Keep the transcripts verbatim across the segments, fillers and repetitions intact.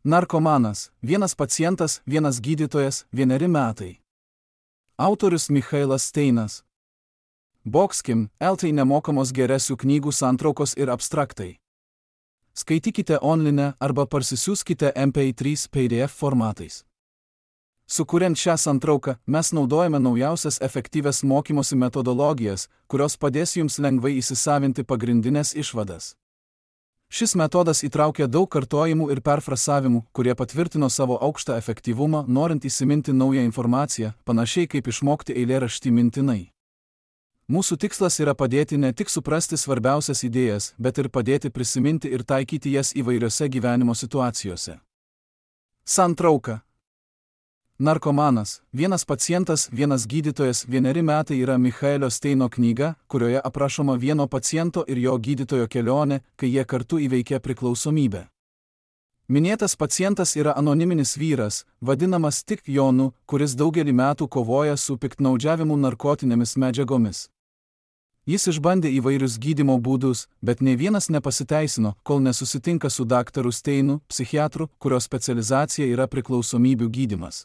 Narkomanas, vienas pacientas, vienas gydytojas, vieneri metai. Autorius Michailas Steinas. Boxkim, L T nemokamos geresių knygų santraukos ir abstraktai. Skaitykite online arba parsisiųskite M P trys P D F formatais. Sukuriant šią santrauką, mes naudojame naujausias efektyvias mokymosi metodologijas, kurios padės jums lengvai įsisavinti pagrindinės išvadas. Šis metodas įtraukia daug kartojimų ir perfrasavimų, kurie patvirtino savo aukštą efektyvumą, norint įsiminti naują informaciją, panašiai kaip išmokti eilėraštį mintinai. Mūsų tikslas yra padėti ne tik suprasti svarbiausias idėjas, bet ir padėti prisiminti ir taikyti jas įvairiose gyvenimo situacijose. Santrauka. Narkomanas, vienas pacientas, vienas gydytojas, vieneri metai yra Michailio Steino knyga, kurioje aprašoma vieno paciento ir jo gydytojo kelionė, kai jie kartu įveikė priklausomybę. Minėtas pacientas yra anoniminis vyras, vadinamas tik Jonu, kuris daugelį metų kovoja su piktnaudžiavimu narkotinėmis medžiagomis. Jis išbandė įvairius gydymo būdus, bet nei vienas nepasiteisino, kol nesusitinka su daktaru Steinu, psichiatru, kurio specializacija yra priklausomybių gydymas.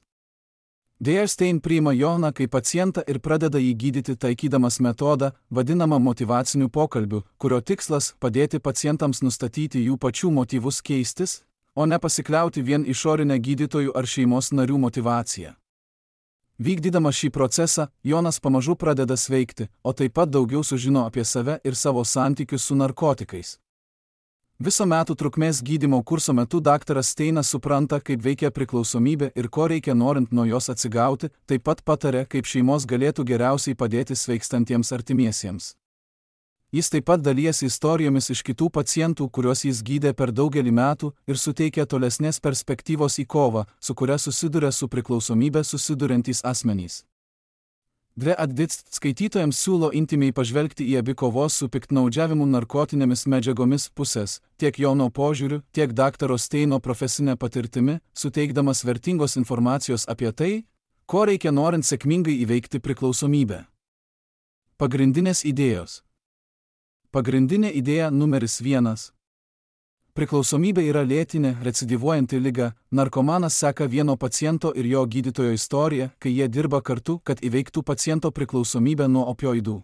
Deja, Stein priima Joną kaip pacientą ir pradeda jį gydyti taikydamas metodą, vadinamą motyvaciniu pokalbiu, kurio tikslas padėti pacientams nustatyti jų pačių motyvus keistis, o ne pasikliauti vien išorinę gydytojų ar šeimos narių motyvaciją. Vykdydamas šį procesą, Jonas pamažu pradeda sveikti, o taip pat daugiau sužino apie save ir savo santykius su narkotikais. Viso metų trukmės gydymo kurso metu daktaras Steinas supranta, kaip veikia priklausomybė ir ko reikia norint nuo jos atsigauti, taip pat pataria, kaip šeimos galėtų geriausiai padėti sveikstantiems artimiesiems. Jis taip pat dalijasi istorijomis iš kitų pacientų, kuriuos jis gydė per daugelį metų ir suteikia tolesnės perspektyvos į kovą, su kuria susiduria su priklausomybė susiduriantys asmenys. Dve Adits skaitytojams siūlo intimiai pažvelgti į abi kovos su piktnaudžiavimu narkotinėmis medžiagomis pusės, tiek Jono požiūriu, tiek daktaro Steino profesinė patirtimi, suteikdamas vertingos informacijos apie tai, ko reikia norint sėkmingai įveikti priklausomybę. Pagrindinės idėjos. Pagrindinė idėja numeris vienas. Priklausomybė yra lėtinė, recidyvuojanti liga, narkomanas seka vieno paciento ir jo gydytojo istoriją, kai jie dirba kartu, kad įveiktų paciento priklausomybę nuo opioidų.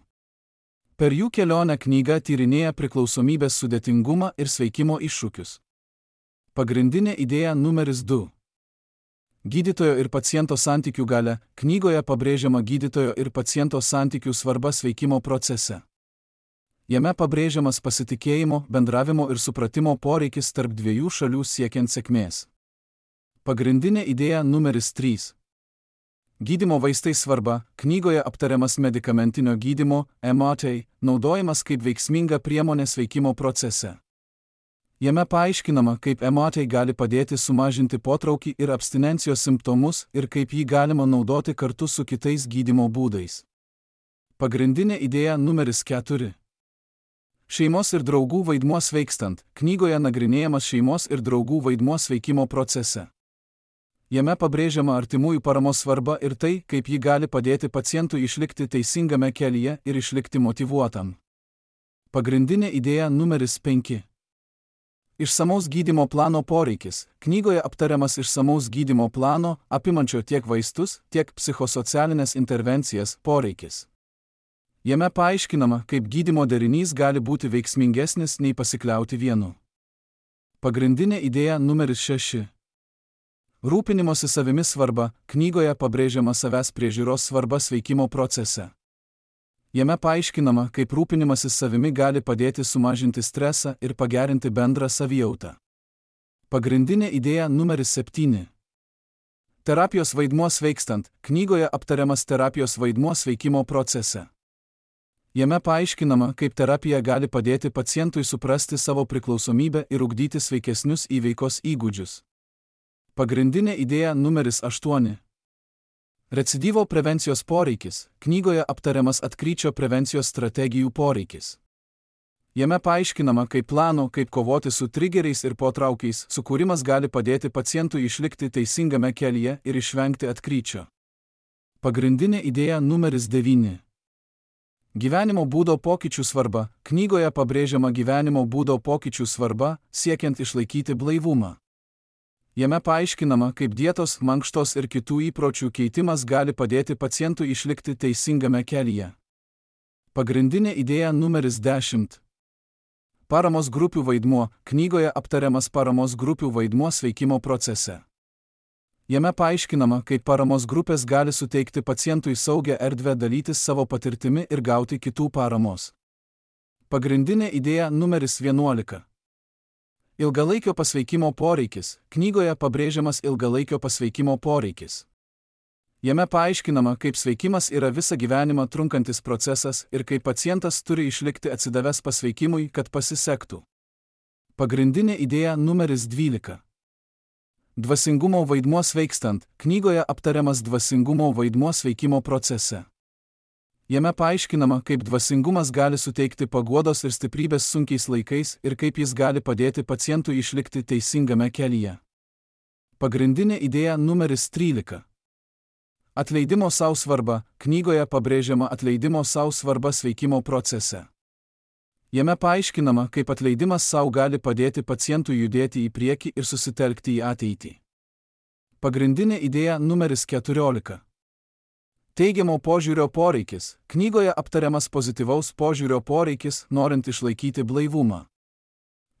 Per jų kelionę knyga tyrinėja priklausomybės sudėtingumą ir sveikimo iššūkius. Pagrindinė idėja numeris du. Gydytojo ir paciento santykių galia, knygoje pabrėžiama gydytojo ir paciento santykių svarba sveikimo procese. Jame pabrėžiamas pasitikėjimo, bendravimo ir supratimo poreikis tarp dviejų šalių siekiant sėkmės. Pagrindinė idėja numeris trys. Gydymo vaistai svarba, knygoje aptariamas medikamentinio gydymo, M A T, naudojimas kaip veiksminga priemonė sveikimo procese. Jame paaiškinama, kaip M A T gali padėti sumažinti potraukį ir abstinencijos simptomus ir kaip jį galima naudoti kartu su kitais gydymo būdais. Pagrindinė idėja numeris keturi. Šeimos ir draugų vaidmuo sveikstant, knygoje nagrinėjamas šeimos ir draugų vaidmuo sveikimo procese. Jame pabrėžiama artimųjų paramos svarba ir tai, kaip ji gali padėti pacientui išlikti teisingame kelyje ir išlikti motyvuotam. Pagrindinė idėja numeris penki. Išsamaus gydymo plano poreikis. Knygoje aptariamas išsamaus gydymo plano, apimančio tiek vaistus, tiek psichosocialinės intervencijas, poreikis. Jame paaiškinama, kaip gydymo derinys gali būti veiksmingesnis nei pasikliauti vienu. Pagrindinė idėja numeris šeši. Rūpinimosi savimi svarba. Knygoje pabrėžiama savęs priežiūros svarba sveikimo procese. Jame paaiškinama, kaip rūpinimasis savimi gali padėti sumažinti stresą ir pagerinti bendrą savijautą. Pagrindinė idėja numeris septyni. Terapijos vaidmuo sveikstant. Knygoje aptariamas terapijos vaidmuo sveikimo procese. Jame paaiškinama, kaip terapija gali padėti pacientui suprasti savo priklausomybę ir ugdyti sveikesnius įveikos įgūdžius. Pagrindinė idėja numeris aštuoni. Recidyvo prevencijos poreikis. Knygoje aptariamas atkryčio prevencijos strategijų poreikis. Jame paaiškinama, kaip plano, kaip kovoti su trigeriais ir potraukiais, sukūrimas gali padėti pacientui išlikti teisingame kelyje ir išvengti atkryčio. Pagrindinė idėja numeris devyni. Gyvenimo būdo pokyčių svarba. Knygoje pabrėžiama gyvenimo būdo pokyčių svarba, siekiant išlaikyti blaivumą. Jame paaiškinama, kaip dietos, mankštos ir kitų įpročių keitimas gali padėti pacientui išlikti teisingame kelyje. Pagrindinė idėja numeris dešimt. Paramos grupių vaidmuo. Knygoje aptariamas paramos grupių vaidmuo sveikimo procese. Jame paaiškinama, kaip paramos grupės gali suteikti pacientui saugią erdvę dalytis savo patirtimi ir gauti kitų paramos. Pagrindinė idėja numeris vienuolika. Ilgalaikio pasveikimo poreikis. Knygoje pabrėžiamas ilgalaikio pasveikimo poreikis. Jame paaiškinama, kaip sveikimas yra visą gyvenimą trunkantis procesas ir kaip pacientas turi išlikti atsidavęs pasveikimui, kad pasisektų. Pagrindinė idėja numeris dvylika. Dvasingumo vaidmuo sveikstant. Knygoje aptariamas dvasingumo vaidmuo sveikimo procese. Jame paaiškinama, kaip dvasingumas gali suteikti paguodos ir stiprybės sunkiais laikais ir kaip jis gali padėti pacientui išlikti teisingame kelyje. Pagrindinė idėja numeris trylika. Atleidimo sau svarba. Knygoje pabrėžiama atleidimo sau svarba sveikimo procese. Jame paaiškinama, kaip atleidimas sau gali padėti pacientui judėti į priekį ir susitelkti į ateitį. Pagrindinė idėja numeris keturiolika. Teigiamo požiūrio poreikis. Knygoje aptariamas pozityvaus požiūrio poreikis, norint išlaikyti blaivumą.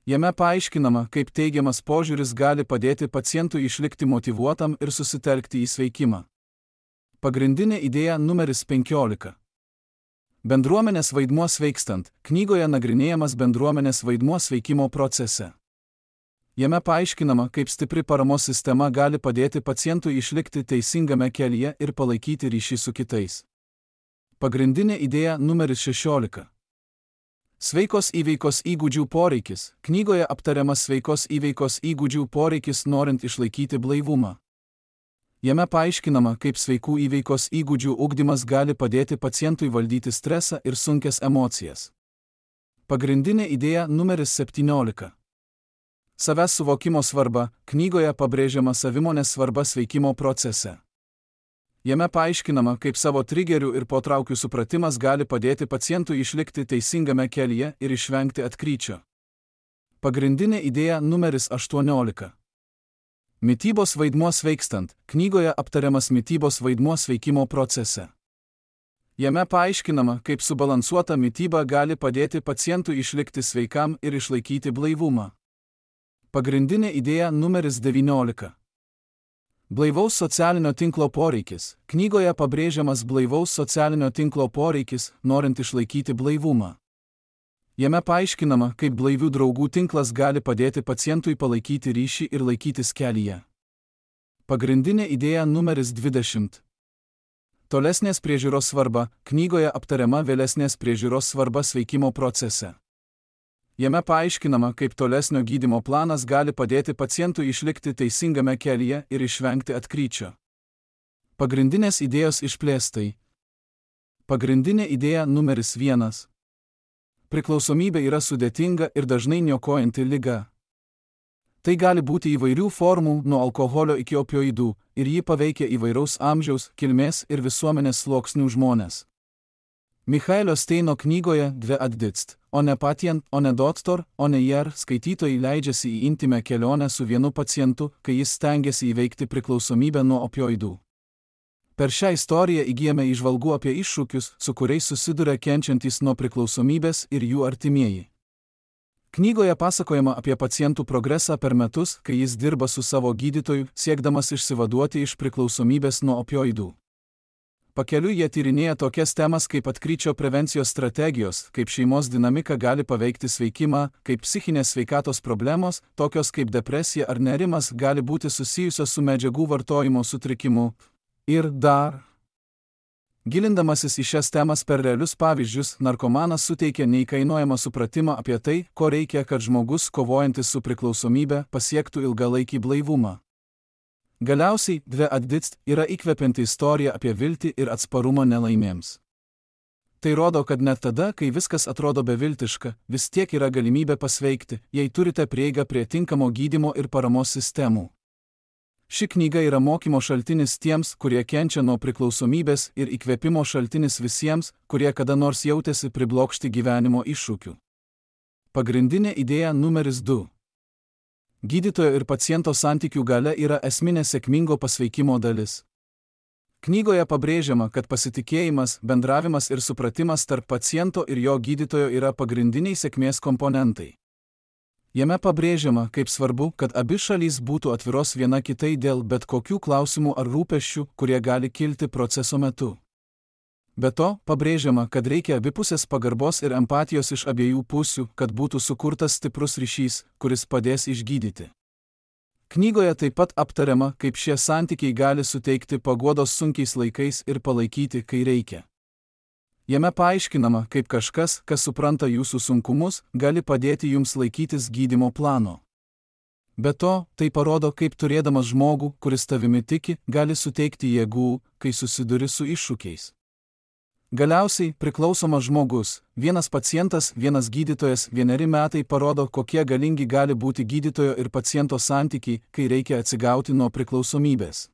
Jame paaiškinama, kaip teigiamas požiūris gali padėti pacientui išlikti motyvuotam ir susitelkti į sveikimą. Pagrindinė idėja numeris penkiolika. Bendruomenės vaidmuo sveikstant. Knygoje nagrinėjamas bendruomenės vaidmuo sveikimo procese. Jame paaiškinama, kaip stipri paramos sistema gali padėti pacientui išlikti teisingame kelyje ir palaikyti ryšį su kitais. Pagrindinė idėja numeris šešiolika. Sveikos įveikos įgūdžių poreikis. Knygoje aptariamas sveikos įveikos įgūdžių poreikis norint išlaikyti blaivumą. Jame paaiškinama, kaip sveikų įveikos įgūdžių ugdymas gali padėti pacientui valdyti stresą ir sunkias emocijas. Pagrindinė idėja numeris septyniolika. Savęs suvokimo svarba. Knygoje pabrėžiama savimonės svarba sveikimo procese. Jame paaiškinama, kaip savo trigerių ir potraukių supratimas gali padėti pacientui išlikti teisingame kelyje ir išvengti atkryčio. Pagrindinė idėja numeris aštuoniolika. Mitybos vaidmuo sveikstant. Knygoje aptariamas mitybos vaidmuo sveikimo procese. Jame paaiškinama, kaip subalansuota mityba gali padėti pacientui išlikti sveikam ir išlaikyti blaivumą. Pagrindinė idėja numeris devyniolika. Blaivaus socialinio tinklo poreikis. Knygoje pabrėžiamas blaivaus socialinio tinklo poreikis, norint išlaikyti blaivumą. Jame paaiškinama, kaip blaivių draugų tinklas gali padėti pacientui palaikyti ryšį ir laikytis kelyje. Pagrindinė idėja numeris dvidešimt. Tolesnės priežiūros svarba. Knygoje aptariama vėlesnės priežiūros svarba sveikimo procese. Jame paaiškinama, kaip tolesnio gydymo planas gali padėti pacientui išlikti teisingame kelyje ir išvengti atkryčio. Pagrindinės idėjos išplėstai. Pagrindinė idėja numeris vienas. Priklausomybė yra sudėtinga ir dažnai niokojanti liga. Tai gali būti įvairių formų, nuo alkoholio iki opioidų, ir jį paveikia įvairaus amžiaus, kilmės ir visuomenės sluoksnių žmonės. Michaelio Steino knygoje Dve atditst, o ne patient, o ne doktor, o ne jer, skaitytojai leidžiasi į intimę kelionę su vienu pacientu, kai jis stengiasi įveikti priklausomybę nuo opioidų. Per šią istoriją įgyjame įžvalgų apie iššūkius, su kuriais susiduria kenčiantys nuo priklausomybės ir jų artimieji. Knygoje pasakojama apie pacientų progresą per metus, kai jis dirba su savo gydytoju, siekdamas išsivaduoti iš priklausomybės nuo opioidų. Pakeliui jie tyrinėja tokias temas kaip atkryčio prevencijos strategijos, kaip šeimos dinamika gali paveikti sveikimą, kaip psichinės sveikatos problemos, tokios kaip depresija ar nerimas, gali būti susijusios su medžiagų vartojimo sutrikimu. Ir dar. Gilindamasis į šias temas per realius pavyzdžius, narkomanas suteikia neįkainojamą supratimą apie tai, ko reikia, kad žmogus, kovojantis su priklausomybe, pasiektų ilgalaikį blaivumą. Galiausiai, Dve atditst yra įkvepianti istorija apie viltį ir atsparumą nelaimėms. Tai rodo, kad net tada, kai viskas atrodo beviltiška, vis tiek yra galimybė pasveikti, jei turite prieigą prie tinkamo gydymo ir paramos sistemų. Ši knyga yra mokymo šaltinis tiems, kurie kenčia nuo priklausomybės ir įkvėpimo šaltinis visiems, kurie kada nors jautėsi priblokšti gyvenimo iššūkių. Pagrindinė idėja numeris du. Gydytojo ir paciento santykių galia yra esminė sėkmingo pasveikimo dalis. Knygoje pabrėžiama, kad pasitikėjimas, bendravimas ir supratimas tarp paciento ir jo gydytojo yra pagrindiniai sėkmės komponentai. Jame pabrėžiama, kaip svarbu, kad abi šalys būtų atviros viena kitai dėl bet kokių klausimų ar rūpesčių, kurie gali kilti proceso metu. Be to, pabrėžiama, kad reikia abipusės pagarbos ir empatijos iš abiejų pusių, kad būtų sukurtas stiprus ryšys, kuris padės išgydyti. Knygoje taip pat aptariama, kaip šie santykiai gali suteikti paguodos sunkiais laikais ir palaikyti, kai reikia. Jame paaiškinama, kaip kažkas, kas supranta jūsų sunkumus, gali padėti jums laikytis gydymo plano. Be to, tai parodo, kaip turėdamas žmogų, kuris tavimi tiki, gali suteikti jėgų, kai susiduri su iššūkiais. Galiausiai, priklausomas žmogus, vienas pacientas, vienas gydytojas, vieneri metai parodo, kokie galingi gali būti gydytojo ir paciento santykiai, kai reikia atsigauti nuo priklausomybės.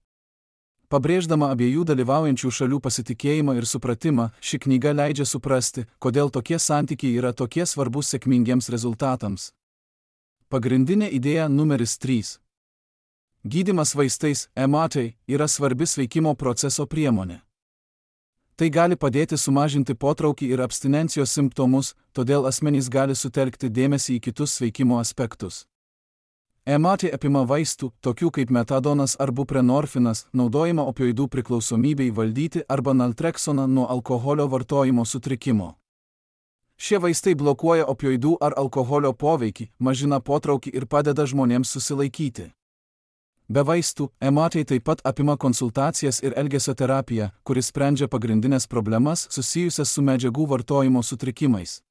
Pabrėždama abiejų dalyvaujančių šalių pasitikėjimą ir supratimą, ši knyga leidžia suprasti, kodėl tokie santykiai yra tokie svarbus sėkmingiems rezultatams. Pagrindinė idėja numeris trys. Gydymas vaistais, E M A T, yra svarbi sveikimo proceso priemonė. Tai gali padėti sumažinti potraukį ir abstinencijos simptomus, todėl asmenys gali sutelkti dėmesį į kitus sveikimo aspektus. E M A T apima vaistų, tokių kaip metadonas ar buprenorfinas, naudojama opioidų priklausomybei valdyti arba naltreksoną nuo alkoholio vartojimo sutrikimo. Šie vaistai blokuoja opioidų ar alkoholio poveikį, mažina potraukį ir padeda žmonėms susilaikyti. Be vaistų, E M A T taip pat apima konsultacijas ir elgesio terapiją, kuris sprendžia pagrindinės problemas susijusias su medžiagų vartojimo sutrikimais.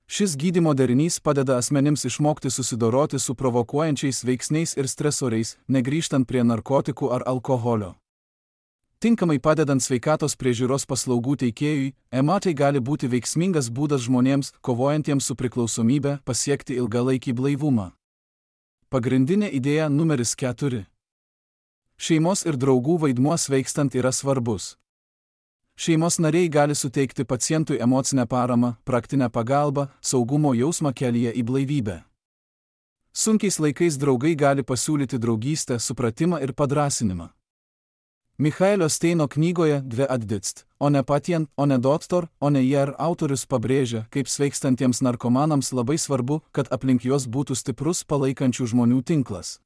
Šis gydymo derinys padeda asmenims išmokti susidoroti su provokuojančiais veiksniais ir stresoriais, negrįžtant prie narkotikų ar alkoholio. Tinkamai padedant sveikatos priežiūros paslaugų teikėjui, E M A T gali būti veiksmingas būdas žmonėms, kovojantiems su priklausomybe, pasiekti ilgalaikį blaivumą. Pagrindinė idėja numeris keturi. Šeimos ir draugų vaidmuo sveikstant yra svarbus. Šeimos nariai gali suteikti pacientui emocinę paramą, praktinę pagalbą, saugumo jausmą kelyje į blaivybę. Sunkiais laikais draugai gali pasiūlyti draugystę, supratimą ir padrąsinimą. Michaelio Steino knygoje Dve atditst, o ne patient, o ne doktor, o ne jer autorius pabrėžia, kaip sveikstantiems narkomanams labai svarbu, kad aplink juos būtų stiprus palaikančių žmonių tinklas.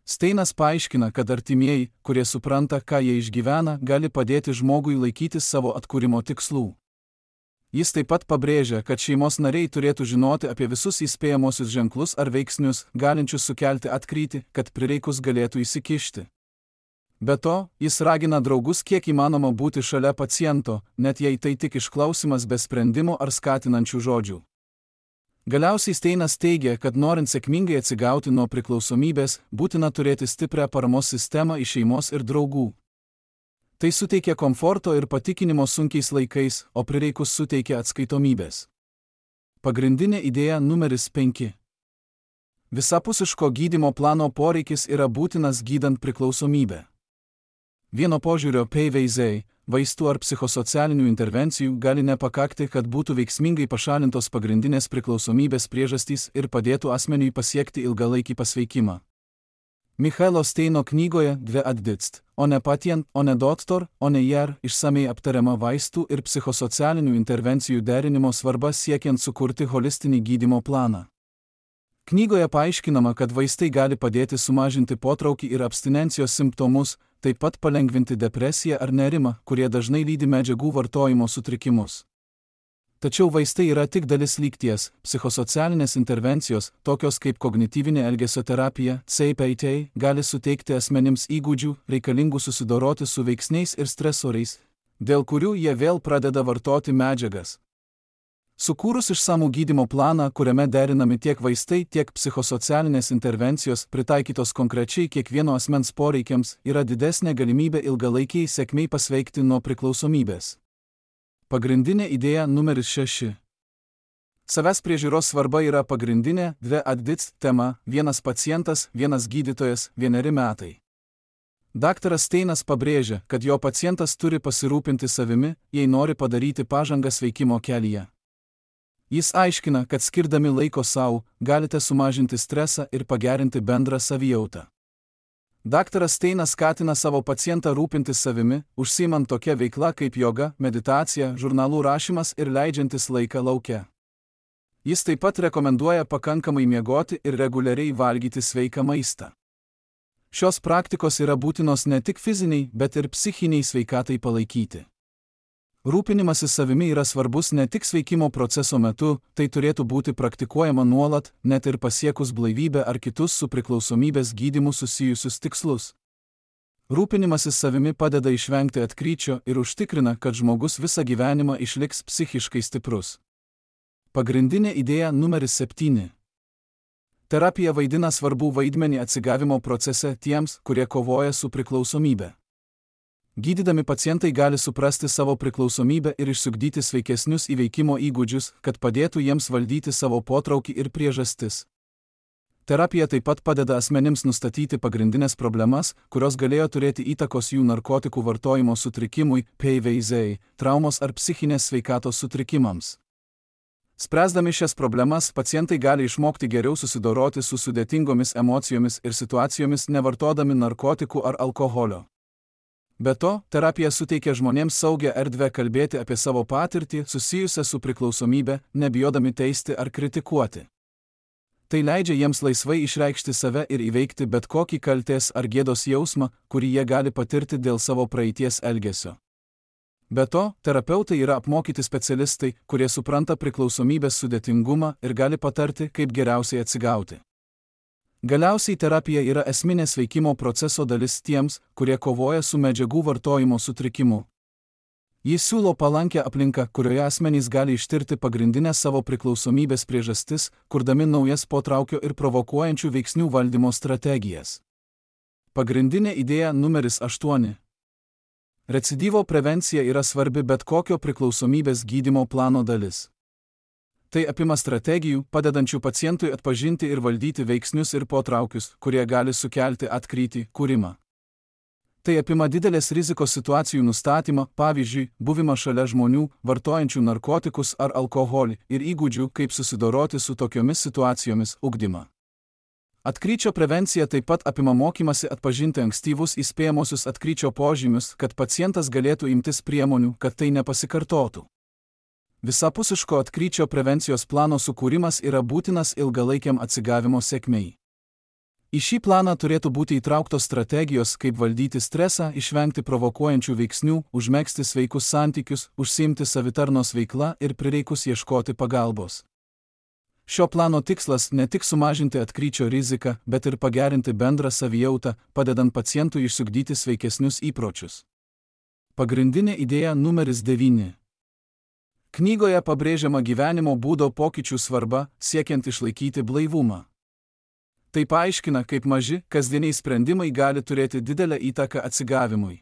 Steinas paaiškina, kad artimieji, kurie supranta, ką jie išgyvena, gali padėti žmogui laikytis savo atkūrimo tikslų. Jis taip pat pabrėžia, kad šeimos nariai turėtų žinoti apie visus įspėjamosius ženklus ar veiksnius, galinčius sukelti atkrytį, kad prireikus galėtų įsikišti. Be to, jis ragina draugus kiek įmanoma būti šalia paciento, net jei tai tik išklausimas be sprendimo ar skatinančių žodžių. Galiausiai Steinas teigia, kad norint sėkmingai atsigauti nuo priklausomybės, būtina turėti stiprią paramos sistemą iš šeimos ir draugų. Tai suteikia komforto ir patikinimo sunkiais laikais, o prireikus suteikia atskaitomybės. Pagrindinė idėja numeris penki. Visapusiško gydymo plano poreikis yra būtinas gydant priklausomybę. Vieno požiūrio peiveizai, vaistų ar psichosocialinių intervencijų gali nepakakti, kad būtų veiksmingai pašalintos pagrindinės priklausomybės priežastys ir padėtų asmeniui pasiekti ilgalaikį pasveikimą. Michaelo Steino knygoje Dve atditst, o ne patient, o ne doktor, o ne jer išsamei aptariama vaistų ir psichosocialinių intervencijų derinimo svarba siekiant sukurti holistinį gydymo planą. Knygoje paaiškinama, kad vaistai gali padėti sumažinti potraukį ir abstinencijos simptomus, taip pat palengvinti depresiją ar nerimą, kurie dažnai lydi medžiagų vartojimo sutrikimus. Tačiau vaistai yra tik dalis lygties, psichosocialinės intervencijos, tokios kaip kognityvinė elgesio terapija, C P T, gali suteikti asmenims įgūdžių, reikalingų susidoroti su veiksniais ir stresoriais, dėl kurių jie vėl pradeda vartoti medžiagas. Sukūrus išsamų gydymo planą, kuriame derinami tiek vaistai, tiek psichosocialinės intervencijos, pritaikytos konkrečiai kiekvieno asmens poreikiams, yra didesnė galimybė ilgalaikiai sėkmiai pasveikti nuo priklausomybės. Pagrindinė idėja numeris šeši. Savęs priežiūros svarba yra pagrindinė Dve atditst tema, vienas pacientas, vienas gydytojas, vieneri metai. Daktaras Steinas pabrėžia, kad jo pacientas turi pasirūpinti savimi, jei nori padaryti pažangą sveikimo kelyje. Jis aiškina, kad skirdami laiko savo, galite sumažinti stresą ir pagerinti bendrą savijautą. Daktaras Steinas skatina savo pacientą rūpintis savimi, užsiimant tokia veikla kaip joga, meditacija, žurnalų rašymas ir leidžiantis laiką lauke. Jis taip pat rekomenduoja pakankamai miegoti ir reguliariai valgyti sveiką maistą. Šios praktikos yra būtinos ne tik fiziniai, bet ir psichiniai sveikatai palaikyti. Rūpinimasis savimi yra svarbus ne tik sveikimo proceso metu, tai turėtų būti praktikuojama nuolat, net ir pasiekus blaivybę ar kitus su priklausomybės gydymu susijusius tikslus. Rūpinimasis savimi padeda išvengti atkryčio ir užtikrina, kad žmogus visą gyvenimą išliks psichiškai stiprus. Pagrindinė idėja numeris septyni. Terapija vaidina svarbų vaidmenį atsigavimo procese tiems, kurie kovoja su priklausomybe. Gydydami pacientai gali suprasti savo priklausomybę ir išsiugdyti sveikesnius įveikimo įgūdžius, kad padėtų jiems valdyti savo potraukį ir priežastis. Terapija taip pat padeda asmenims nustatyti pagrindinės problemas, kurios galėjo turėti įtakos jų narkotikų vartojimo sutrikimui, P V Z, traumos ar psichinės sveikatos sutrikimams. Spręsdami šias problemas, pacientai gali išmokti geriau susidoroti su sudėtingomis emocijomis ir situacijomis nevartodami narkotikų ar alkoholio. Be to, terapija suteikia žmonėms saugią erdvę kalbėti apie savo patirtį susijusią su priklausomybe, nebijodami teisti ar kritikuoti. Tai leidžia jiems laisvai išreikšti save ir įveikti bet kokį kaltės ar gėdos jausmą, kurį jie gali patirti dėl savo praeities elgesio. Be to, terapeutai yra apmokyti specialistai, kurie supranta priklausomybės sudėtingumą ir gali patarti, kaip geriausiai atsigauti. Galiausiai terapija yra esminė sveikimo proceso dalis tiems, kurie kovoja su medžiagų vartojimo sutrikimu. Jis siūlo palankę aplinką, kurioje asmenys gali ištirti pagrindinės savo priklausomybės priežastis, kurdami naujas potraukio ir provokuojančių veiksnių valdymo strategijas. Pagrindinė idėja numeris aštuoni. Recidyvo prevencija yra svarbi bet kokio priklausomybės gydymo plano dalis. Tai apima strategijų, padedančių pacientui atpažinti ir valdyti veiksnius ir potraukius, kurie gali sukelti atkrytį, kūrimą. Tai apima didelės rizikos situacijų nustatymą, pavyzdžiui, buvimą šalia žmonių, vartojančių narkotikus ar alkoholį, ir įgūdžių, kaip susidoroti su tokiomis situacijomis, ugdymą. Atkryčio prevencija taip pat apima mokymasi atpažinti ankstyvus įspėjamosius atkryčio požymius, kad pacientas galėtų imtis priemonių, kad tai nepasikartotų. Visapusiško atkryčio prevencijos plano sukūrimas yra būtinas ilgalaikiam atsigavimo sėkmei. Į šį planą turėtų būti įtrauktos strategijos, kaip valdyti stresą, išvengti provokuojančių veiksnių, užmegzti sveikus santykius, užsiimti savitarnos veikla ir prireikus ieškoti pagalbos. Šio plano tikslas ne tik sumažinti atkryčio riziką, bet ir pagerinti bendrą savijautą, padedant pacientui išsiugdyti sveikesnius įpročius. Pagrindinė idėja numeris devyni. Knygoje pabrėžiama gyvenimo būdo pokyčių svarba, siekiant išlaikyti blaivumą. Tai paaiškina, kaip maži, kasdieniai sprendimai gali turėti didelę įtaką atsigavimui.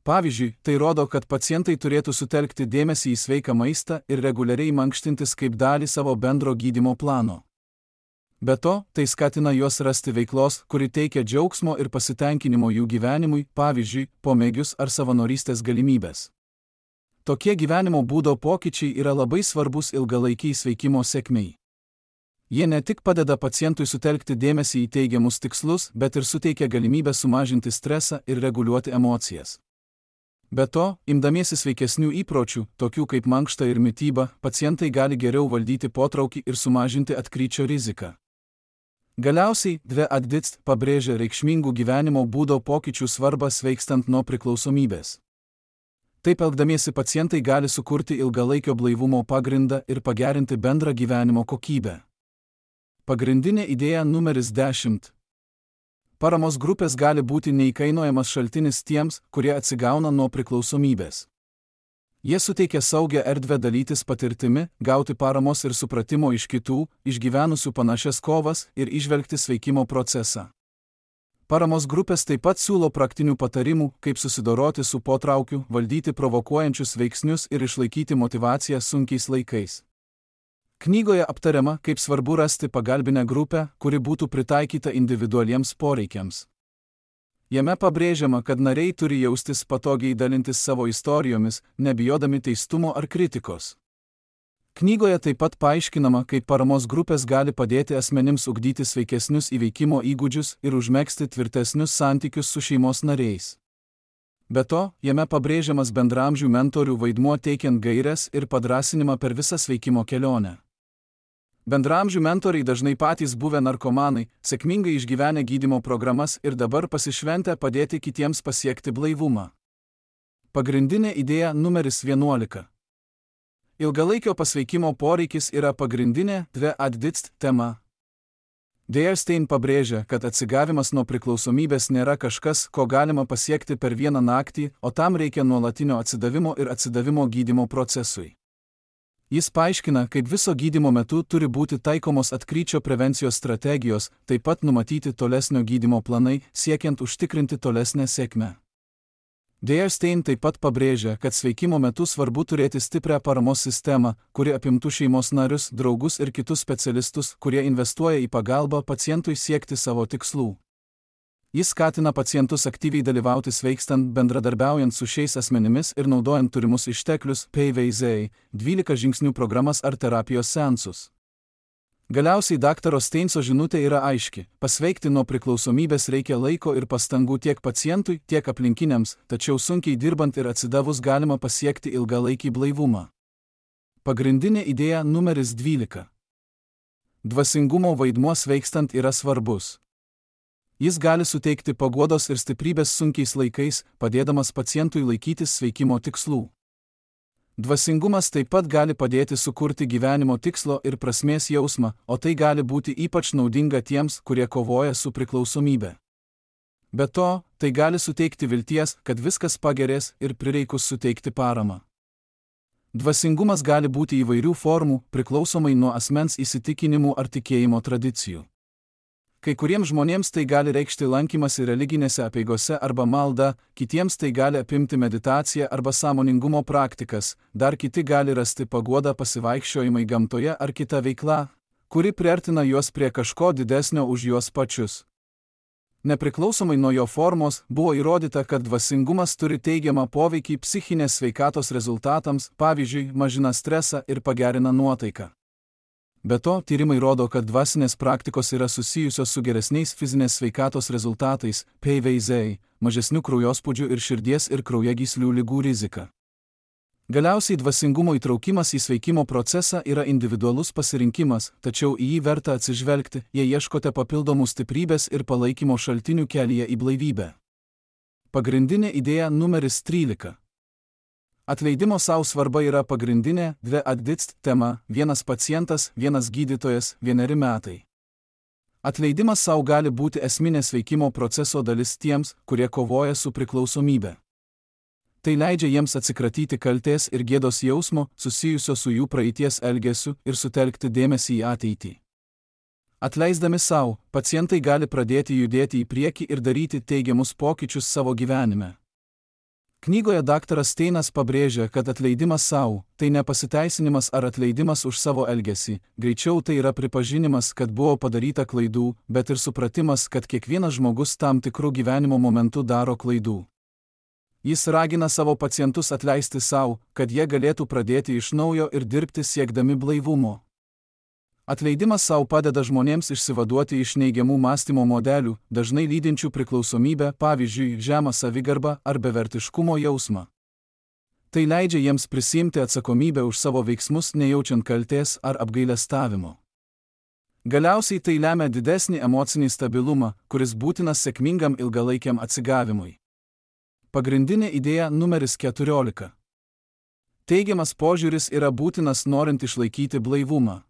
Pavyzdžiui, tai rodo, kad pacientai turėtų sutelkti dėmesį į sveiką maistą ir reguliariai mankštintis kaip dalį savo bendro gydymo plano. Be to, tai skatina juos rasti veiklos, kuri teikia džiaugsmo ir pasitenkinimo jų gyvenimui, pavyzdžiui, pomėgius ar savanorystės galimybės. Tokie gyvenimo būdo pokyčiai yra labai svarbus ilgalaikiai sveikimo sėkmei. Jie ne tik padeda pacientui sutelkti dėmesį į teigiamus tikslus, bet ir suteikia galimybę sumažinti stresą ir reguliuoti emocijas. Be to, imdamiesi sveikesnių įpročių, tokių kaip mankšta ir mityba, pacientai gali geriau valdyti potraukį ir sumažinti atkryčio riziką. Galiausiai, Dve Advitst pabrėžia reikšmingų gyvenimo būdo pokyčių svarbą sveikstant nuo priklausomybės. Taip elgdamiesi pacientai gali sukurti ilgalaikio blaivumo pagrindą ir pagerinti bendrą gyvenimo kokybę. Pagrindinė idėja numeris dešimt. Paramos grupės gali būti neįkainojamas šaltinis tiems, kurie atsigauna nuo priklausomybės. Jie suteikia saugią erdvę dalytis patirtimi, gauti paramos ir supratimo iš kitų, išgyvenusių panašias kovas ir įžvelgti sveikimo procesą. Paramos grupės taip pat siūlo praktinių patarimų, kaip susidoroti su potraukiu, valdyti provokuojančius veiksnius ir išlaikyti motyvaciją sunkiais laikais. Knygoje aptariama, kaip svarbu rasti pagalbinę grupę, kuri būtų pritaikyta individualiems poreikiams. Jame pabrėžiama, kad nariai turi jaustis patogiai dalintis savo istorijomis, nebijodami teistumo ar kritikos. Knygoje taip pat paaiškinama, kaip paramos grupės gali padėti asmenims ugdyti sveikesnius įveikimo įgūdžius ir užmegzti tvirtesnius santykius su šeimos nariais. Be to, jame pabrėžiamas bendraamžių mentorių vaidmuo teikiant gaires ir padrąsinimą per visą sveikimo kelionę. Bendraamžių mentoriai dažnai patys buvę narkomanai, sėkmingai išgyvenę gydymo programas ir dabar pasišventę padėti kitiems pasiekti blaivumą. Pagrindinė idėja numeris vienuolika. Ilgalaikio pasveikimo poreikis yra pagrindinė dve addict tema. Dearstein pabrėžia, kad atsigavimas nuo priklausomybės nėra kažkas, ko galima pasiekti per vieną naktį, o tam reikia nuolatinio atsidavimo ir atsidavimo gydymo procesui. Jis paaiškina, kaip viso gydymo metu turi būti taikomos atkryčio prevencijos strategijos, taip pat numatyti tolesnio gydymo planai, siekiant užtikrinti tolesnę sėkmę. Dearstein taip pat pabrėžia, kad sveikimo metu svarbu turėti stiprią paramos sistemą, kuri apimtų šeimos narius, draugus ir kitus specialistus, kurie investuoja į pagalbą pacientui siekti savo tikslų. Jis skatina pacientus aktyviai dalyvauti sveikstant, bendradarbiaujant su šiais asmenimis ir naudojant turimus išteklius, P V Z, dvylika žingsnių programas ar terapijos seansus. Galiausiai daktaro Steinso žinutė yra aiški. Pasveikti nuo priklausomybės reikia laiko ir pastangų tiek pacientui, tiek aplinkiniams, tačiau sunkiai dirbant ir atsidavus galima pasiekti ilgalaikį blaivumą. Pagrindinė idėja numeris dvylika. Dvasingumo vaidmuo sveikstant yra svarbus. Jis gali suteikti paguodos ir stiprybės sunkiais laikais, padėdamas pacientui laikytis sveikimo tikslų. Dvasingumas taip pat gali padėti sukurti gyvenimo tikslo ir prasmės jausmą, o tai gali būti ypač naudinga tiems, kurie kovoja su priklausomybe. Be to, tai gali suteikti vilties, kad viskas pagerės ir prireikus suteikti paramą. Dvasingumas gali būti įvairių formų, priklausomai nuo asmens įsitikinimų ar tikėjimo tradicijų. Kai kuriems žmonėms tai gali reikšti lankymasi religinėse apeigose arba malda, kitiems tai gali apimti meditaciją arba sąmoningumo praktikas, dar kiti gali rasti paguodą pasivaikščiojimai gamtoje ar kita veikla, kuri priartina juos prie kažko didesnio už juos pačius. Nepriklausomai nuo jo formos, buvo įrodyta, kad dvasingumas turi teigiamą poveikį psichinės sveikatos rezultatams, pavyzdžiui, mažina stresą ir pagerina nuotaiką. Be to, tyrimai rodo, kad dvasinės praktikos yra susijusios su geresniais fizinės sveikatos rezultatais, P V Z, mažesniu kraujospūdžiu ir širdies ir kraujagyslių ligų rizika. Galiausiai dvasingumo įtraukimas į sveikimo procesą yra individualus pasirinkimas, tačiau į jį verta atsižvelgti, jei ieškote papildomų stiprybės ir palaikymo šaltinių kelyje į blaivybę. Pagrindinė idėja numeris trylika. Atleidimo sau svarba yra pagrindinė dve addict tema, vienas pacientas, vienas gydytojas, vieneri metai. Atleidimas sau gali būti esminė sveikimo proceso dalis tiems, kurie kovoja su priklausomybe. Tai leidžia jiems atsikratyti kaltės ir gėdos jausmo, susijusio su jų praeities elgesiu ir sutelkti dėmesį į ateitį. Atleisdami sau, pacientai gali pradėti judėti į priekį ir daryti teigiamus pokyčius savo gyvenime. Knygoje daktaras Steinas pabrėžia, kad atleidimas sau – tai ne pasiteisinimas ar atleidimas už savo elgesį, greičiau tai yra pripažinimas, kad buvo padaryta klaidų, bet ir supratimas, kad kiekvienas žmogus tam tikrų gyvenimo momentų daro klaidų. Jis ragina savo pacientus atleisti sau, kad jie galėtų pradėti iš naujo ir dirbti siekdami blaivumo. Atleidimas sau padeda žmonėms išsivaduoti iš neigiamų mąstymo modelių, dažnai lydinčių priklausomybę, pavyzdžiui, žemą savigarbą ar bevertiškumo jausmą. Tai leidžia jiems prisiimti atsakomybę už savo veiksmus, nejaučiant kaltės ar apgailestavimo. Galiausiai tai lemia didesnį emocinį stabilumą, kuris būtinas sėkmingam ilgalaikiam atsigavimui. Pagrindinė idėja numeris keturiolika. Teigiamas požiūris yra būtinas norint išlaikyti blaivumą.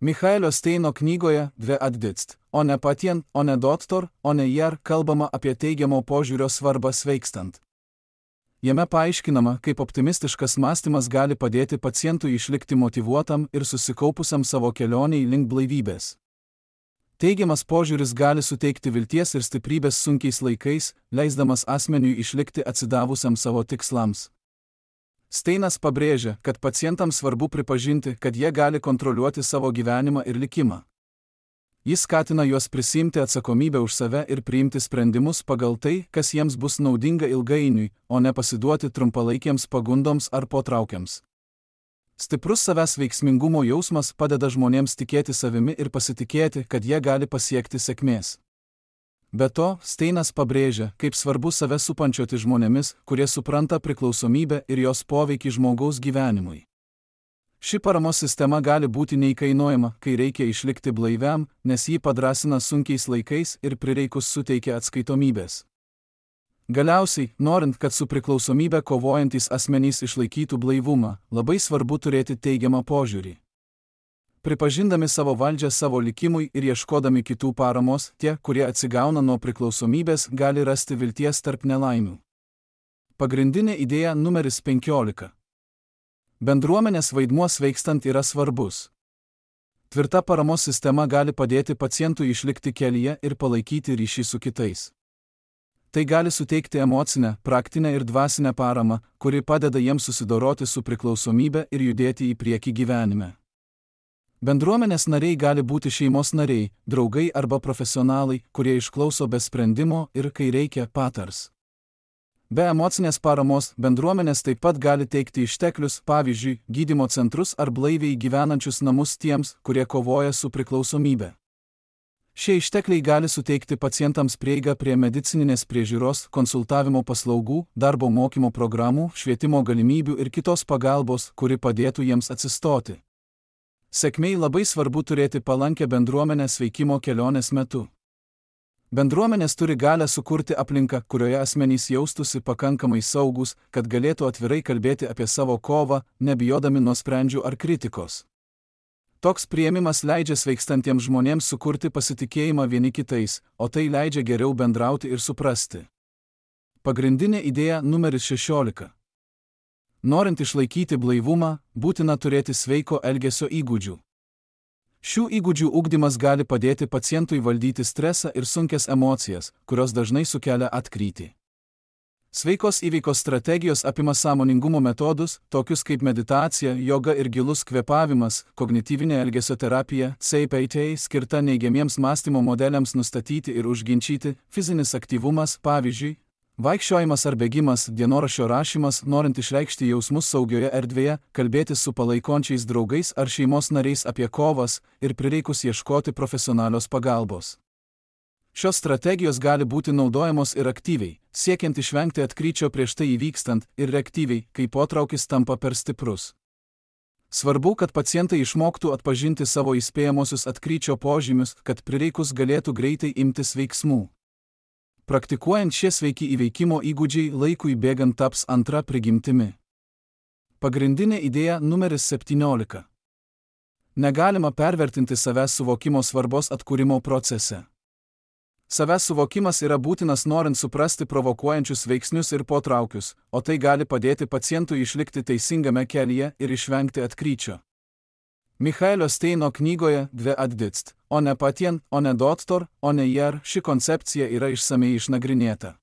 Michaelio Steino knygoje Dve addict, o ne patien, o ne doktor, o ne jar kalbama apie teigiamo požiūrio svarbą sveikstant. Jame paaiškinama, kaip optimistiškas mąstymas gali padėti pacientui išlikti motyvuotam ir susikaupusiam savo kelioniai link blaivybės. Teigiamas požiūris gali suteikti vilties ir stiprybės sunkiais laikais, leisdamas asmeniui išlikti atsidavusiam savo tikslams. Steinas pabrėžia, kad pacientams svarbu pripažinti, kad jie gali kontroliuoti savo gyvenimą ir likimą. Jis skatina juos prisiimti atsakomybę už save ir priimti sprendimus pagal tai, kas jiems bus naudinga ilgainiui, o ne pasiduoti trumpalaikiems pagundoms ar potraukiams. Stiprus savęs veiksmingumo jausmas padeda žmonėms tikėti savimi ir pasitikėti, kad jie gali pasiekti sėkmės. Be to, Steinas pabrėžia, kaip svarbu save supančioti žmonėmis, kurie supranta priklausomybę ir jos poveikį žmogaus gyvenimui. Ši paramos sistema gali būti neįkainojama, kai reikia išlikti blaiviam, nes jį padrasina sunkiais laikais ir prireikus suteikia atskaitomybės. Galiausiai, norint, kad su priklausomybe kovojantys asmenys išlaikytų blaivumą, labai svarbu turėti teigiamą požiūrį. Pripažindami savo valdžią savo likimui ir ieškodami kitų paramos, tie, kurie atsigauna nuo priklausomybės, gali rasti vilties tarp nelaimių. Pagrindinė idėja numeris penkiolika. Bendruomenės vaidmuo sveikstant yra svarbus. Tvirta paramos sistema gali padėti pacientui išlikti kelyje ir palaikyti ryšį su kitais. Tai gali suteikti emocinę, praktinę ir dvasinę paramą, kuri padeda jiems susidoroti su priklausomybe ir judėti į priekį gyvenime. Bendruomenės nariai gali būti šeimos nariai, draugai arba profesionalai, kurie išklauso be sprendimo ir, kai reikia, patars. Be emocinės paramos, bendruomenės taip pat gali teikti išteklius, pavyzdžiui, gydymo centrus ar blaiviai gyvenančius namus tiems, kurie kovoja su priklausomybe. Šie ištekliai gali suteikti pacientams prieigą prie medicininės priežiūros, konsultavimo paslaugų, darbo mokymo programų, švietimo galimybių ir kitos pagalbos, kuri padėtų jiems atsistoti. Sėkmei labai svarbu turėti palankę bendruomenę sveikimo kelionės metu. Bendruomenės turi galę sukurti aplinką, kurioje asmenys jaustųsi pakankamai saugus, kad galėtų atvirai kalbėti apie savo kovą, nebijodami nuosprendžių ar kritikos. Toks priėmimas leidžia sveikstantiems žmonėms sukurti pasitikėjimą vieni kitais, o tai leidžia geriau bendrauti ir suprasti. Pagrindinė idėja numeris šešiolika. Norint išlaikyti blaivumą, būtina turėti sveiko elgesio įgūdžių. Šių įgūdžių ugdymas gali padėti pacientui valdyti stresą ir sunkias emocijas, kurios dažnai sukelia atkrytį. Sveikos įveikos strategijos apima sąmoningumo metodus, tokius kaip meditacija, joga ir gilus kvėpavimas, kognityvinė elgesio terapija, C P T, skirta neigiamiems mąstymo modeliams nustatyti ir užginčyti, fizinis aktyvumas, pavyzdžiui, vaikščiojimas ar bėgimas, dienoraščio rašymas, norint išreikšti jausmus saugioje erdvėje, kalbėtis su palaikončiais draugais ar šeimos nariais apie kovas ir prireikus ieškoti profesionalios pagalbos. Šios strategijos gali būti naudojamos ir aktyviai, siekiant išvengti atkryčio prieš tai įvykstant, ir reaktyviai, kai potraukis tampa per stiprus. Svarbu, kad pacientai išmoktų atpažinti savo įspėjamosius atkryčio požymius, kad prireikus galėtų greitai imtis veiksmų. Praktikuojant šie sveiki įveikimo įgūdžiai laikui bėgant taps antra prigimtimi. Pagrindinė idėja numeris septyniolika. Negalima pervertinti savęs suvokimo svarbos atkūrimo procese. Savęs suvokimas yra būtinas norint suprasti provokuojančius veiksnius ir potraukius, o tai gali padėti pacientui išlikti teisingame kelyje ir išvengti atkryčio. Michaelio Steino knygoje Dve atditst, o ne patien, o ne doktor, o ne jer, ši koncepcija yra išsamei išnagrinėta.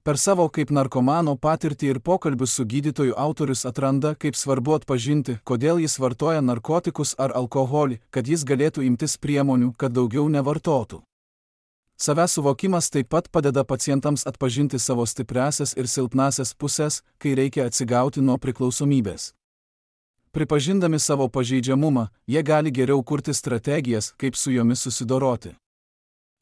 Per savo kaip narkomano patirtį ir pokalbius su gydytoju autorius atranda, kaip svarbu atpažinti, kodėl jis vartoja narkotikus ar alkoholį, kad jis galėtų imtis priemonių, kad daugiau nevartotų. Savęs suvokimas taip pat padeda pacientams atpažinti savo stipriasias ir silpnasias pusės, kai reikia atsigauti nuo priklausomybės. Pripažindami savo pažeidžiamumą, jie gali geriau kurti strategijas, kaip su jomis susidoroti.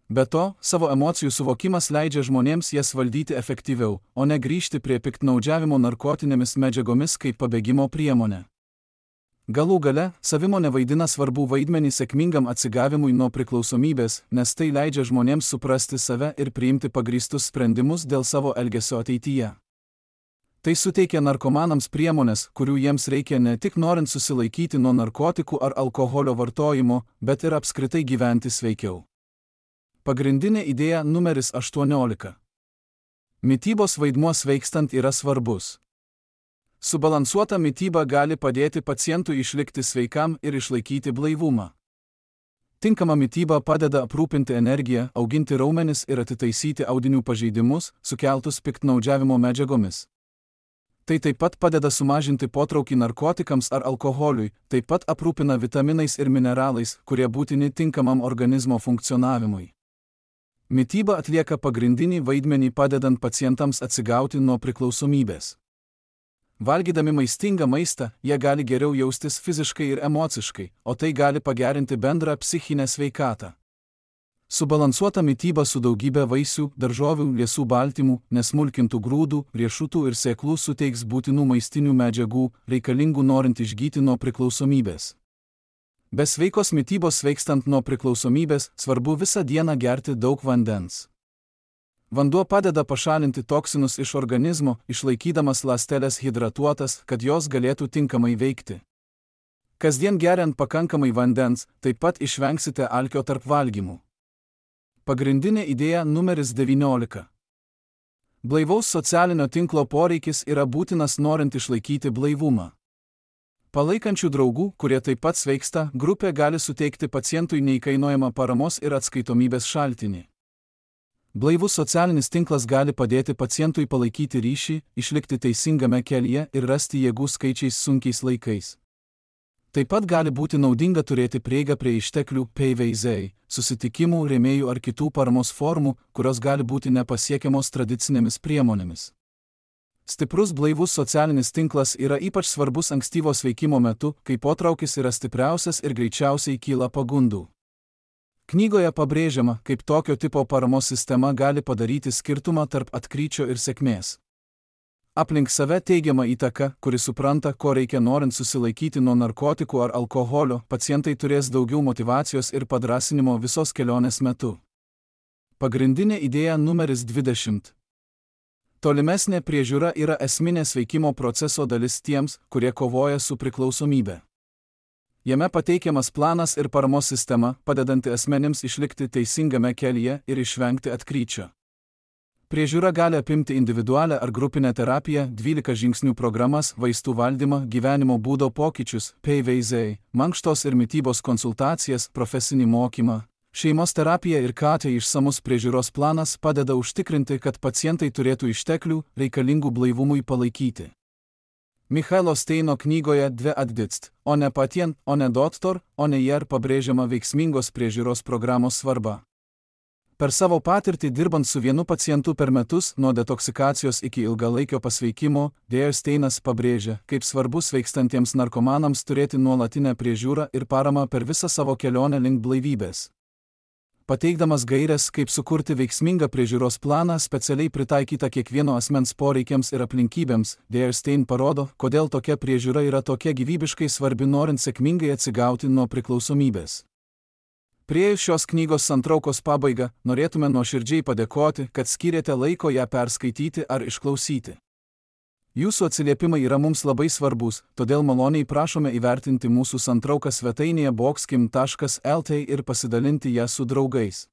Be to, savo emocijų suvokimas leidžia žmonėms jas valdyti efektyviau, o ne grįžti prie piktnaudžiavimo narkotinėmis medžiagomis kaip pabėgimo priemonė. Galų gale, savimonė vaidina svarbų vaidmenį sėkmingam atsigavimui nuo priklausomybės, nes tai leidžia žmonėms suprasti save ir priimti pagrįstus sprendimus dėl savo elgesio ateityje. Tai suteikia narkomanams priemonės, kurių jiems reikia ne tik norint susilaikyti nuo narkotikų ar alkoholio vartojimo, bet ir apskritai gyventi sveikiau. Pagrindinė idėja numeris aštuoniolika. Mitybos vaidmuo sveikstant yra svarbus. Subalansuota mityba gali padėti pacientui išlikti sveikam ir išlaikyti blaivumą. Tinkama mityba padeda aprūpinti energiją, auginti raumenis ir atitaisyti audinių pažeidimus, sukeltus piktnaudžiavimo medžiagomis. Tai taip pat padeda sumažinti potraukį narkotikams ar alkoholiui, taip pat aprūpina vitaminais ir mineralais, kurie būtini tinkamam organizmo funkcionavimui. Mityba atlieka pagrindinį vaidmenį padedant pacientams atsigauti nuo priklausomybės. Valgydami maistingą maistą, jie gali geriau jaustis fiziškai ir emociškai, o tai gali pagerinti bendrą psichinę sveikatą. Subalansuota mityba su daugybė vaisių, daržovių, liesų baltymų, nesmulkintų grūdų, riešutų ir sėklų suteiks būtinų maistinių medžiagų, reikalingų norint išgyti nuo priklausomybės. Be sveikos mitybos sveikstant nuo priklausomybės, svarbu visą dieną gerti daug vandens. Vanduo padeda pašalinti toksinus iš organizmo, išlaikydamas ląsteles hidratuotas, kad jos galėtų tinkamai veikti. Kasdien geriant pakankamai vandens, taip pat išvengsite alkio tarp valgymų. Pagrindinė idėja numeris devyniolika. Blaivaus socialinio tinklo poreikis yra būtinas norint išlaikyti blaivumą. Palaikančių draugų, kurie taip pat sveiksta, grupė gali suteikti pacientui neįkainojamą paramos ir atskaitomybės šaltinį. Blaivus socialinis tinklas gali padėti pacientui palaikyti ryšį, išlikti teisingame kelyje ir rasti jėgų skaičiais sunkiais laikais. Taip pat gali būti naudinga turėti prieigą prie išteklių P V Z, susitikimų, rėmėjų ar kitų paramos formų, kurios gali būti nepasiekiamos tradicinėmis priemonėmis. Stiprus blaivus socialinis tinklas yra ypač svarbus ankstyvo sveikimo metu, kai potraukis yra stipriausias ir greičiausiai kyla pagundų. Knygoje pabrėžiama, kaip tokio tipo paramos sistema gali padaryti skirtumą tarp atkryčio ir sėkmės. Aplink save teigiama įtaka, kuri supranta, ko reikia norint susilaikyti nuo narkotikų ar alkoholio, pacientai turės daugiau motyvacijos ir padrąsinimo visos kelionės metu. Pagrindinė idėja numeris dvidešimt. Tolimesnė priežiūra yra esminė sveikimo proceso dalis tiems, kurie kovoja su priklausomybe. Jame pateikiamas planas ir paramos sistema, padedanti asmenims išlikti teisingame kelyje ir išvengti atkryčio. Priežiūra gali apimti individualią ar grupinę terapiją, dvylika žingsnių programas, vaistų valdymą, gyvenimo būdo pokyčius, P V Z, mankštos ir mitybos konsultacijas, profesinį mokymą. Šeimos terapija ir K T išsamus priežiūros planas padeda užtikrinti, kad pacientai turėtų išteklių, reikalingų blaivumui palaikyti. Michailo Steino knygoje Dve atditst, o ne patien, o ne doktor, o ne jer pabrėžiama veiksmingos priežiūros programos svarba. Per savo patirtį dirbant su vienu pacientu per metus, nuo detoksikacijos iki ilgalaikio pasveikimo, Dėja Steinas pabrėžia, kaip svarbu sveikstantiems narkomanams turėti nuolatinę priežiūrą ir paramą per visą savo kelionę link blaivybės. Pateikdamas gaires, kaip sukurti veiksmingą priežiūros planą specialiai pritaikytą kiekvieno asmens poreikiams ir aplinkybėms, Dėja Stein parodo, kodėl tokia priežiūra yra tokia gyvybiškai svarbi norint sėkmingai atsigauti nuo priklausomybės. Priėjus šios knygos santraukos pabaigą, norėtume nuoširdžiai padėkoti, kad skyrėte laiko ją perskaityti ar išklausyti. Jūsų atsiliepimai yra mums labai svarbus, todėl maloniai prašome įvertinti mūsų santrauką svetainėje boxkim taškas el t ir pasidalinti ją su draugais.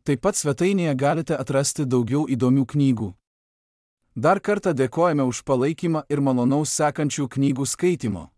Taip pat svetainėje galite atrasti daugiau įdomių knygų. Dar kartą dėkojame už palaikymą ir malonaus sekančių knygų skaitimo.